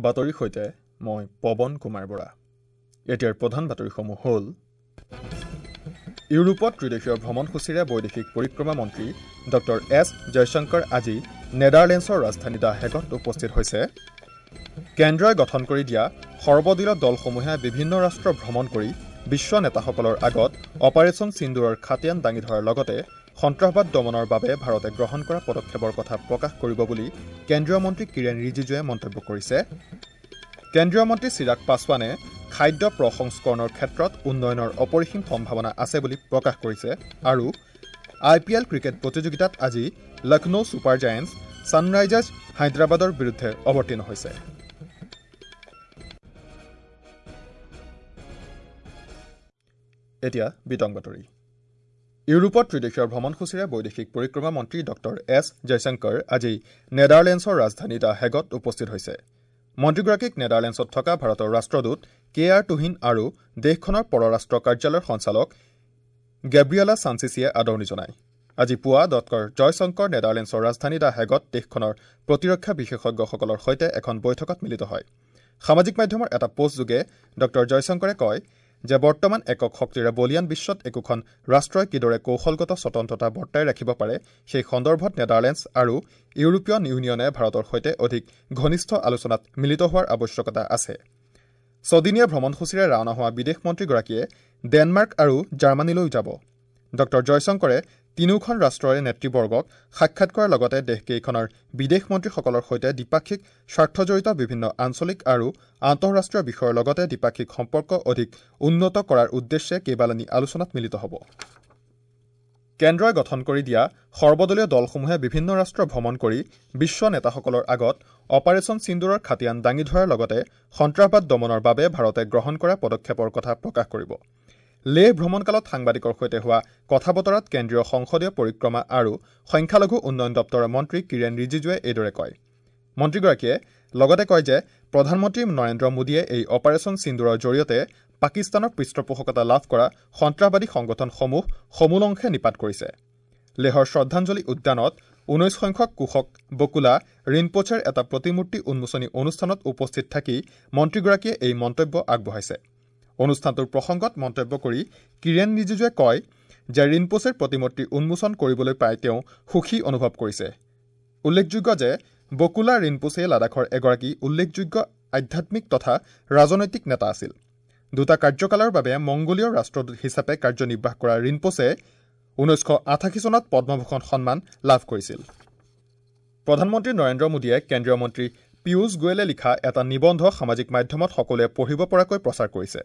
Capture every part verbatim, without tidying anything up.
বাতৰিৰ সৈতে মই পৱন কুমাৰ বৰা। এতিয়াৰ প্ৰধান বাতৰিসমূহ হ'ল: ইউৰোপত ত্ৰিদেশীয় ভ্ৰমণসূচীৰে বৈদেশিক পৰিক্ৰমা মন্ত্ৰী ডক্টৰ এছ জয়শংকৰ আজি নেডাৰলেণ্ডছৰ ৰাজধানী the হেগত উপস্থিত হৈছে। কেন্দ্ৰই গঠন কৰি দিয়া সৰ্বদলীয় দলসমূহে বিভিন্ন ৰাষ্ট্ৰ ভ্ৰমণ কৰি বিশ্ব নেতাসকলৰ আগত অপাৰেশ্যন সিন্দুৰৰ খাতিয়ান দাঙি ধৰাৰ লগতে সন্ত্ৰাসবাদ দমনৰ বাবে ভাৰতে গ্ৰহণ কৰা পদক্ষেপৰ কথা প্ৰকাশ কৰিব বুলি কেন্দ্ৰীয় মন্ত্ৰী কিৰেণ ৰিজিজুৱে মন্তব্য কৰিছে। কেন্দ্ৰীয় মন্ত্ৰী চিৰাগ পাছৱানে খাদ্য প্ৰসংস্কৰণৰ ক্ষেত্ৰত উন্নয়নৰ অপৰিসীম সম্ভাৱনা আছে বুলি প্ৰকাশ কৰিছে। আৰু আই পি এল ক্ৰিকেট প্ৰতিযোগিতাত আজি লক্ষ্ণৌ ছুপাৰ জায়েণ্টছ ছানৰাইজাৰ্ছ হায়দৰাবাদৰ বিৰুদ্ধে অৱতীৰ্ণ হৈছে। এতিয়া বিতং বাতৰি। ইউৰোপত ত্ৰিদেশীয় ভ্ৰমণসূচীৰে বৈদেশিক পৰিক্ৰমা মন্ত্ৰী ডক্টৰ এছ জয়শংকৰ আজি নেডাৰলেণ্ডছৰ ৰাজধানী the হেগত উপস্থিত হৈছে। মন্ত্ৰীগৰাকীক নেডাৰলেণ্ডছত থকা ভাৰতৰ ৰাষ্ট্ৰদূত কে আৰ তুহিন আৰু দেশখনৰ পৰৰাষ্ট্ৰ কাৰ্যালয়ৰ সঞ্চালক গেব্ৰিয়েলা ছানচিচিয়ে আদৰণি জনায়। আজি পুৱা ডক্টৰ জয়শংকৰ নেডাৰলেণ্ডছৰ ৰাজধানী the হেগত দেশখনৰ প্ৰতিৰক্ষা বিশেষজ্ঞসকলৰ সৈতে এখন বৈঠকত মিলিত হয়। সামাজিক মাধ্যমৰ এটা পোষ্টযোগে ডক্টৰ জয়শংকৰে কয় যে বৰ্তমান একক শক্তিৰে বলিয়ান বিশ্বত একোখন ৰাষ্ট্ৰই কিদৰে কৌশলগত স্বতন্ত্ৰতা বৰ্তাই ৰাখিব পাৰে সেই সন্দৰ্ভত নেডাৰলেণ্ডছ আৰু ইউৰোপীয় ইউনিয়নে ভাৰতৰ সৈতে অধিক ঘনিষ্ঠ আলোচনাত মিলিত হোৱাৰ আৱশ্যকতা আছে। ছদিনীয়া ভ্ৰমণসূচীৰে ৰাওনা হোৱা বিদেশ মন্ত্ৰীগৰাকীয়ে ডেনমাৰ্ক আৰু জাৰ্মানীলৈও যাব। ডক্টৰ জয়শংকৰে তিনিওখন ৰাষ্ট্ৰৰে নেতৃবৰ্গক সাক্ষাৎ কৰাৰ লগতে দেশকেইখনৰ বিদেশ মন্ত্ৰীসকলৰ সৈতে দ্বিপাক্ষিক স্বাৰ্থজড়িত বিভিন্ন আঞ্চলিক আৰু আন্তঃৰাষ্ট্ৰীয় বিষয়ৰ লগতে দ্বিপাক্ষিক সম্পৰ্ক অধিক উন্নত কৰাৰ উদ্দেশ্যে কেইবালানি আলোচনাত মিলিত হ'ব। কেন্দ্ৰই গঠন কৰি দিয়া সৰ্বদলীয় দলসমূহে বিভিন্ন ৰাষ্ট্ৰ ভ্ৰমণ কৰি বিশ্ব নেতাসকলৰ আগত অপাৰেশ্যন সিন্দুৰৰ খাতিয়ান দাঙি ধৰাৰ লগতে সন্ত্ৰাসবাদ দমনৰ বাবে ভাৰতে গ্ৰহণ কৰা পদক্ষেপৰ কথা প্ৰকাশ কৰিব। লেহ ভ্ৰমণকালত সাংবাদিকৰ সৈতে হোৱা কথা বতৰাত কেন্দ্ৰীয় সংসদীয় পৰিক্ৰমা আৰু সংখ্যালঘু উন্নয়ন দপ্তৰৰ মন্ত্ৰী কিৰেণ ৰিজিজুৱে এইদৰে কয়। মন্ত্ৰীগৰাকীয়ে লগতে কয় যে প্ৰধানমন্ত্ৰী নৰেন্দ্ৰ মোদীয়ে এই অপাৰেশ্যন সিন্দুৰৰ জৰিয়তে পাকিস্তানৰ পৃষ্ঠপোষকতা লাভ কৰা সন্ত্ৰাসবাদী সংগঠনসমূহ সমূলংশে নিপাত কৰিছে। লেহৰ শ্ৰদ্ধাঞ্জলি উদ্যানত ঊনৈশ সংখ্যক কুশক বকুলা ৰিনপোচেৰ এটা প্ৰতিমূৰ্তি উন্মোচনী অনুষ্ঠানত উপস্থিত থাকি মন্ত্ৰীগৰাকীয়ে এই মন্তব্য আগবঢ়াইছে। অনুষ্ঠানটোৰ প্ৰসংগত মন্তব্য কৰি কিৰেণ ৰিজিজুৱে কয় যে ৰিনপোচেৰ প্ৰতিমূৰ্তি উন্মোচন কৰিবলৈ পাই তেওঁ সুখী অনুভৱ কৰিছে। উল্লেখযোগ্য যে বকুলা ৰিনপোচে লাডাখৰ এগৰাকী উল্লেখযোগ্য আধ্যাত্মিক তথা ৰাজনৈতিক নেতা আছিল। দুটা কাৰ্যকালৰ বাবে মংগোলীয় ৰাষ্ট্ৰদূত হিচাপে কাৰ্যনিৰ্বাহ কৰা ৰিনপোচে ঊনৈছশ আঠাশী চনত পদ্মভূষণ সন্মান লাভ কৰিছিল। প্ৰধানমন্ত্ৰী নৰেন্দ্ৰ মোদীয়ে কেন্দ্ৰীয় মন্ত্ৰী পীয়ুষ গোৱেলে লিখা এটা নিবন্ধ সামাজিক মাধ্যমত সকলোৱে পঢ়িব পৰাকৈ প্ৰচাৰ কৰিছে।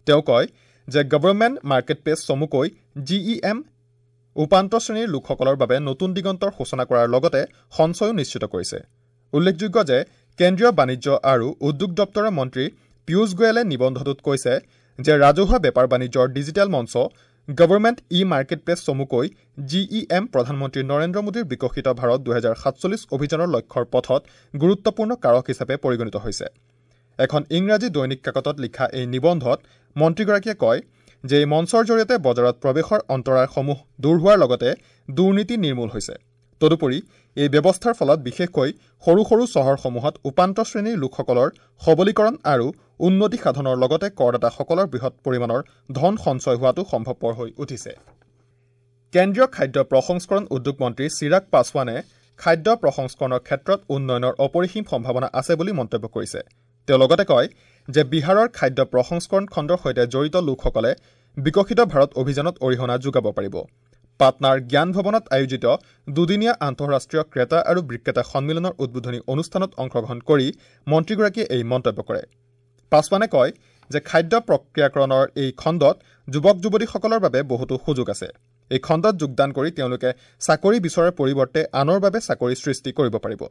তেওঁ কয় যে গভৰ্ণমেণ্ট মাৰ্কেটপ্লেচ চমুকৈ জি ই এম উপান্ত শ্ৰেণীৰ লোকসকলৰ বাবে নতুন দিগন্তৰ সূচনা কৰাৰ লগতে সঞ্চয়ো নিশ্চিত কৰিছে। উল্লেখযোগ্য যে কেন্দ্ৰীয় বাণিজ্য আৰু উদ্যোগ দপ্তৰৰ মন্ত্ৰী পীয়ুষ গোৱেলে নিবন্ধটোত কৈছে যে ৰাজহুৱা বেপাৰ বাণিজ্যৰ ডিজিটেল মঞ্চ গভৰ্ণমেণ্ট ই মাৰ্কেটপ্লেচ চমুকৈ জি ই এম প্ৰধানমন্ত্ৰী নৰেন্দ্ৰ মোদীৰ বিকশিত ভাৰত দুহেজাৰ সাতচল্লিছ অভিযানৰ লক্ষ্যৰ পথত গুৰুত্বপূৰ্ণ কাৰক হিচাপে পৰিগণিত হৈছে। এখন ইংৰাজী দৈনিক কাকতত লিখা এই নিবন্ধত মন্ত্ৰীগৰাকীয়ে কয় যে এই মঞ্চৰ জৰিয়তে বজাৰত প্ৰৱেশৰ অন্তৰায়সমূহ দূৰ হোৱাৰ লগতে দুৰ্নীতি নিৰ্মূল হৈছে। তদুপৰি এই ব্যৱস্থাৰ ফলত বিশেষকৈ সৰু সৰু চহৰসমূহত উপান্ত শ্ৰেণীৰ লোকসকলৰ সবলীকৰণ আৰু উন্নতি সাধনৰ লগতে কৰদাতাসকলৰ বৃহৎ পৰিমাণৰ ধন সঞ্চয় হোৱাটো সম্ভৱপৰ হৈ উঠিছে। কেন্দ্ৰীয় খাদ্য প্ৰসংস্কৰণ উদ্যোগ মন্ত্ৰী চিৰাগ পাছৱানে খাদ্য প্ৰসংস্কৰণৰ ক্ষেত্ৰত উন্নয়নৰ অপৰিসীম সম্ভাৱনা আছে বুলি মন্তব্য কৰিছে। তেওঁ লগতে কয় যে বিহাৰৰ খাদ্য প্ৰসংস্কৰণ খণ্ডৰ সৈতে জড়িত লোকসকলে বিকশিত ভাৰত অভিযানত অৰিহণা যোগাব পাৰিব। পাটনাৰ জ্ঞান ভৱনত আয়োজিত দুদিনীয়া আন্তঃৰাষ্ট্ৰীয় ক্ৰেতা আৰু বিক্ৰেতা সন্মিলনৰ উদ্বোধনী অনুষ্ঠানত অংশগ্ৰহণ কৰি মন্ত্ৰীগৰাকীয়ে এই মন্তব্য কৰে। পাছৱানে কয় যে খাদ্য প্ৰক্ৰিয়াকৰণৰ এই খণ্ডত যুৱক যুৱতীসকলৰ বাবে বহুতো সুযোগ আছে। এই খণ্ডত যোগদান কৰি তেওঁলোকে চাকৰি বিচৰাৰ পৰিৱৰ্তে আনৰ বাবে চাকৰি সৃষ্টি কৰিব পাৰিব।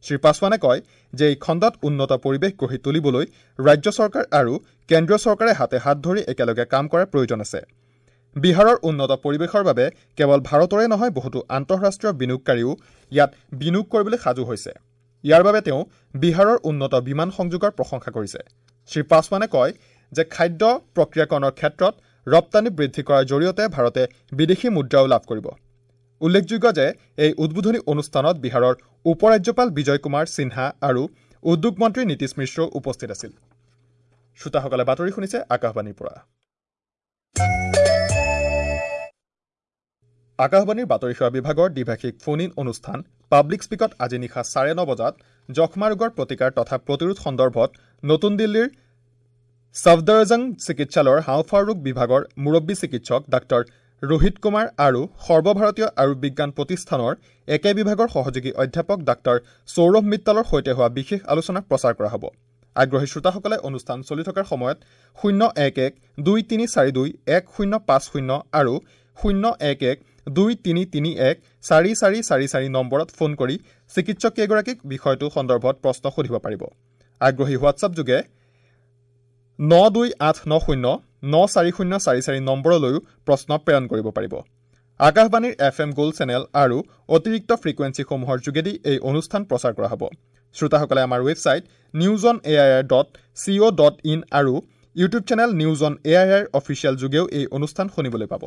শ্ৰী পাছৱানে কয় যে এই খণ্ডত উন্নত পৰিৱেশ গঢ়ি তুলিবলৈ ৰাজ্য চৰকাৰ আৰু কেন্দ্ৰীয় চৰকাৰে হাতে হাত ধৰি একেলগে কাম কৰাৰ প্ৰয়োজন আছে। বিহাৰৰ উন্নত পৰিৱেশৰ বাবে কেৱল ভাৰতৰে নহয় বহুতো আন্তঃৰাষ্ট্ৰীয় বিনিয়োগকাৰীও ইয়াত বিনিয়োগ কৰিবলৈ সাজু হৈছে। ইয়াৰ বাবে তেওঁ বিহাৰৰ উন্নত বিমান সংযোগৰ প্ৰশংসা কৰিছে। শ্ৰী পাছৱানে কয় যে খাদ্য প্ৰক্ৰিয়াকৰণৰ ক্ষেত্ৰত ৰপ্তানি বৃদ্ধি কৰাৰ জৰিয়তে ভাৰতে বিদেশী মুদ্ৰাও লাভ কৰিব। উল্লেখযোগ্য যে এই উদ্বোধনী অনুষ্ঠানত বিহাৰৰ উপ ৰাজ্যপাল বিজয় কুমাৰ সিনহা আৰু উদ্যোগ মন্ত্ৰী নীতিশ মিশ্ৰ উপস্থিত আছিল। শ্ৰোতাসকলে বাতৰি শুনিছে আকাশবাণীৰ পৰা। আকাশবাণীৰ বাতৰি সেৱা বিভাগৰ দ্বিভাষিক ফোন ইন অনুষ্ঠান পাব্লিক স্পীকত আজি নিশা চাৰে ন বজাত যক্ষ্মা ৰোগৰ প্ৰতিকাৰ তথা প্ৰতিৰোধ সন্দৰ্ভত নতুন দিল্লীৰ ছফদৰজং চিকিৎসালয়ৰ হাওঁফাওঁ ৰোগ বিভাগৰ মুৰব্বী চিকিৎসক ডাঃ ৰোহিত কুমাৰ আৰু সৰ্বভাৰতীয় আয়ুৰ্বিজ্ঞান প্ৰতিষ্ঠানৰ একে বিভাগৰ সহযোগী অধ্যাপক ডাঃ সৌৰভ মিত্তালৰ সৈতে হোৱা বিশেষ আলোচনা প্ৰচাৰ কৰা হ'ব। আগ্ৰহী শ্ৰোতাসকলে অনুষ্ঠান চলি থকাৰ সময়ত শূন্য এক এক দুই তিনি চাৰি দুই এক শূন্য পাঁচ শূন্য আৰু শূন্য এক এক দুই তিনি তিনি এক চাৰি চাৰি চাৰি চাৰি নম্বৰত ফোন কৰি চিকিৎসককেইগৰাকীক বিষয়টো সন্দৰ্ভত প্ৰশ্ন সুধিব পাৰিব। আগ্ৰহী হোৱাটছআপ যোগে ন দুই আঠ ন শূন্য ন চাৰি শূন্য চাৰি চাৰি নম্বৰলৈও প্ৰশ্ন প্ৰেৰণ কৰিব পাৰিব। আকাশবাণীৰ এফ এম গ'ল্ড চেনেল আৰু অতিৰিক্ত ফ্ৰিকুৱেঞ্চিসমূহৰ যোগেদি এই অনুষ্ঠান প্ৰচাৰ কৰা হ'ব। শ্ৰোতাসকলে আমাৰ website news on A I R dot C O dot in আৰু YouTube channel news on A I R official যোগেও এই অনুষ্ঠান শুনিবলৈ পাব।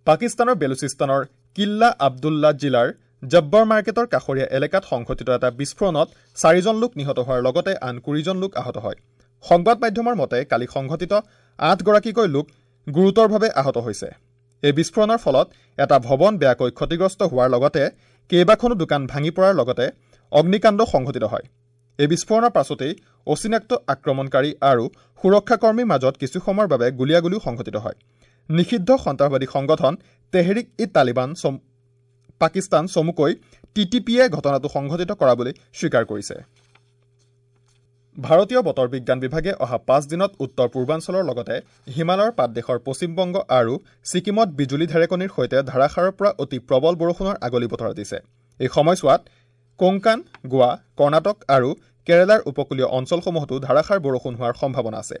পাকিস্তানৰ বেলুচিস্তানৰ কিল্লা আব্দুল্লা জিলাৰ জব্বৰ মাৰ্কেটৰ কাষৰীয়া এলেকাত সংঘটিত এটা বিস্ফোৰণত চাৰিজন লোক নিহত হোৱাৰ লগতে আন কুৰিজন লোক আহত হয়। সংবাদ মাধ্যমৰ মতে কালি সংঘটিত আঠগৰাকীকৈ লোক গুৰুতৰভাৱে আহত হৈছে। এই বিস্ফোৰণৰ ফলত এটা ভৱন বেয়াকৈ ক্ষতিগ্ৰস্ত হোৱাৰ লগতে কেইবাখনো দোকান ভাঙি পৰাৰ লগতে অগ্নিকাণ্ড সংঘটিত হয়। এই বিস্ফোৰণৰ পাছতেই অচিনাক্ত আক্ৰমণকাৰী আৰু সুৰক্ষাকৰ্মীৰ মাজত কিছু সময়ৰ বাবে গুলীয়াগুলীও সংঘটিত হয়। নিষিদ্ধ সন্ত্ৰাসবাদী সংগঠন তেহৰিক ই তালিবান পাকিস্তান চমুকৈ টি টি পিয়ে ঘটনাটো সংঘটিত কৰা বুলি স্বীকাৰ কৰিছে। ভাৰতীয় বতৰ বিজ্ঞান বিভাগে অহা পাঁচ দিনত উত্তৰ পূৰ্বাঞ্চলৰ লগতে হিমালয়ৰ পাদদেশৰ পশ্চিমবংগ আৰু ছিকিমত বিজুলী ঢেৰেকনিৰ সৈতে ধাৰাসাৰৰ পৰা অতি প্ৰবল বৰষুণৰ আগলি বতৰা দিছে। এই সময়ছোৱাত কোংকান, গোৱা, কৰ্ণাটক আৰু কেৰালাৰ উপকূলীয় অঞ্চলসমূহতো ধাৰাসাৰ বৰষুণ হোৱাৰ সম্ভাৱনা আছে।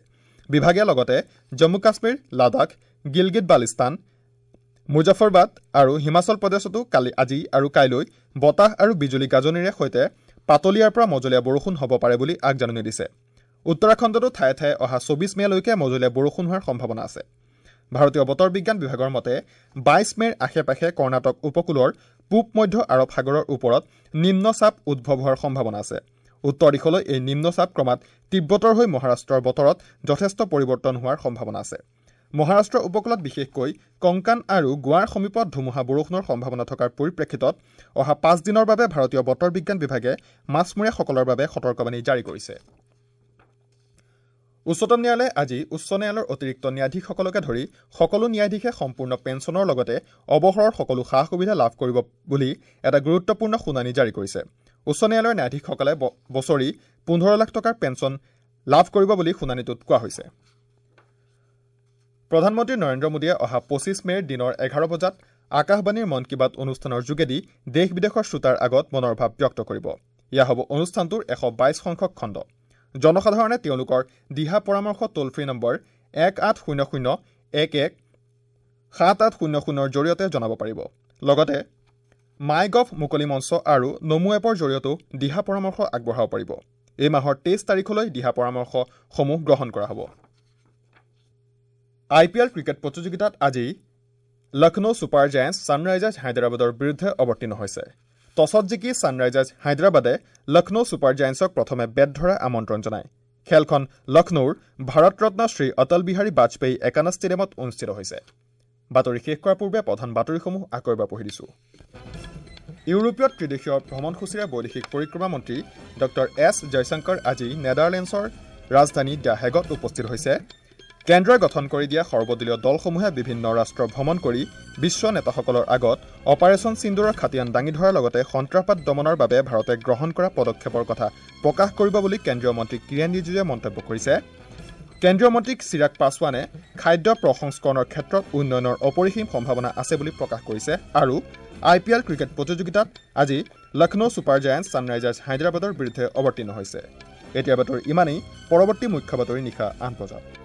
বিভাগে লগতে জম্মু কাশ্মীৰ, লাডাখ, গিলগিট বালিস্তান, মুজাফৰবাদ আৰু হিমাচল প্ৰদেশতো কালি আজি আৰু কাইলৈ বতাহ আৰু বিজুলী গাজনিৰে সৈতে পাতলীয়াৰ পৰা মজলীয়া বৰষুণ হ'ব পাৰে বুলি আগজাননী দিছে। উত্তৰাখণ্ডতো ঠায়ে ঠায়ে অহা চৌবিছ মে'লৈকে মজলীয়া বৰষুণ হোৱাৰ সম্ভাৱনা আছে। ভাৰতীয় বতৰ বিজ্ঞান বিভাগৰ মতে বাইছ মে'ৰ আশে পাশে কৰ্ণাটক উপকূলৰ পূব মধ্য আৰৱ সাগৰৰ ওপৰত নিম্নচাপ উদ্ভৱ হোৱাৰ সম্ভাৱনা আছে। উত্তৰ দিশলৈ এই নিম্নচাপ ক্ৰমাৎ তীব্ৰতৰ হৈ মহাৰাষ্ট্ৰৰ বতৰত যথেষ্ট পৰিৱৰ্তন হোৱাৰ সম্ভাৱনা আছে। মহাৰাষ্ট্ৰ উপকূলত বিশেষকৈ কংকান আৰু গোৱাৰ সমীপত ধুমুহা বৰষুণৰ সম্ভাৱনা থকাৰ পৰিপ্ৰেক্ষিতত অহা পাঁচ দিনৰ বাবে ভাৰতীয় বতৰ বিজ্ঞান বিভাগে মাছমৰীয়াসকলৰ বাবে সতৰ্কবাণী জাৰি কৰিছে। উচ্চতম ন্যায়ালয়ে আজি উচ্চ ন্যায়ালয়ৰ অতিৰিক্ত ন্যায়াধীশসকলকে ধৰি সকলো ন্যায়াধীশে সম্পূৰ্ণ পেঞ্চনৰ লগতে অৱসৰৰ সকলো সা সুবিধা লাভ কৰিব বুলি এটা গুৰুত্বপূৰ্ণ শুনানি জাৰি কৰিছে। উচ্চ ন্যায়ালয়ৰ ন্যায়াধীশসকলে বছৰি পোন্ধৰ লাখ টকাৰ পেঞ্চন লাভ কৰিব বুলি শুনানিটোত কোৱা হৈছে। প্ৰধানমন্ত্ৰী নৰেন্দ্ৰ মোদীয়ে অহা পঁচিছ মে'ৰ দিনৰ এঘাৰ বজাত আকাশবাণীৰ মন কী বাত অনুষ্ঠানৰ যোগেদি দেশ বিদেশৰ শ্ৰোতাৰ আগত মনৰ ভাৱ ব্যক্ত কৰিব। এয়া হ'ব অনুষ্ঠানটোৰ এশ বাইছ সংখ্যক খণ্ড। জনসাধাৰণে তেওঁলোকৰ দিহা পৰামৰ্শ টোল ফ্ৰী নম্বৰ এক আঠ শূন্য শূন্য এক এক সাত আঠ শূন্য শূন্যৰ জৰিয়তে জনাব পাৰিব। লগতে মাই গভ মুকলি মঞ্চ আৰু নমো এপৰ জৰিয়তেও দিহা পৰামৰ্শ আগবঢ়াব পাৰিব। এই মাহৰ তেইছ তাৰিখলৈ দিহা পৰামৰ্শসমূহ গ্ৰহণ কৰা হ'ব। আই পি এল ক্ৰিকেট প্ৰতিযোগিতাত আজি লক্ষ্ণৌ ছুপাৰ জায়েণ্টছ ছানৰাইজাৰ্ছ হায়দৰাবাদৰ বিৰুদ্ধে অৱতীৰ্ণ হৈছে। টছত জিকি ছানৰাইজাৰ্ছ হায়দৰাবাদে লক্ষ্ণৌ ছুপাৰ জায়েণ্টছক প্ৰথমে বেট ধৰাৰ আমন্ত্ৰণ জনায়। খেলখন লক্ষ্ণৌৰ ভাৰতৰত্ন শ্ৰী অটল বিহাৰী বাজপেয়ী একানা ষ্টেডিয়ামত অনুষ্ঠিত হৈছে। বাতৰি শেষ কৰাৰ পূৰ্বে প্ৰধান বাতৰিসমূহ আকৌ এবাৰ পঢ়ি দিছোঁ। ইউৰোপীয় ত্ৰিদেশীয় ভ্ৰমণসূচীৰে বৈদেশিক পৰিক্ৰমা মন্ত্ৰী ডক্টৰ এছ জয়শংকৰ আজি নেডাৰলেণ্ডছৰ ৰাজধানী the হেগত উপস্থিত হৈছে। কেন্দ্ৰই গঠন কৰি দিয়া সৰ্বদলীয় দলসমূহে বিভিন্ন ৰাষ্ট্ৰ ভ্ৰমণ কৰি বিশ্ব নেতাসকলৰ আগত অপাৰেশ্যন সিন্দুৰৰ খাতিয়ান দাঙি ধৰাৰ লগতে সন্ত্ৰাসবাদ দমনৰ বাবে ভাৰতে গ্ৰহণ কৰা পদক্ষেপৰ কথা প্ৰকাশ কৰিব বুলি কেন্দ্ৰীয় মন্ত্ৰী কিৰেণ ৰিজিজুৱে মন্তব্য কৰিছে। কেন্দ্ৰীয় মন্ত্ৰী চিৰাগ পাছৱানে খাদ্য প্ৰসংস্কৰণৰ ক্ষেত্ৰত উন্নয়নৰ অপৰিসীম সম্ভাৱনা আছে বুলি প্ৰকাশ কৰিছে। আৰু আই পি এল ক্ৰিকেট প্ৰতিযোগিতাত আজি লক্ষ্ণৌ ছুপাৰ জায়েণ্টছ ছানৰাইজাৰ্ছ হায়দৰাবাদৰ বিৰুদ্ধে অৱতীৰ্ণ হৈছে। এতিয়া বাতৰি ইমানেই। পৰৱৰ্তী মুখ্য বাতৰি নিশা আঠ বজাত।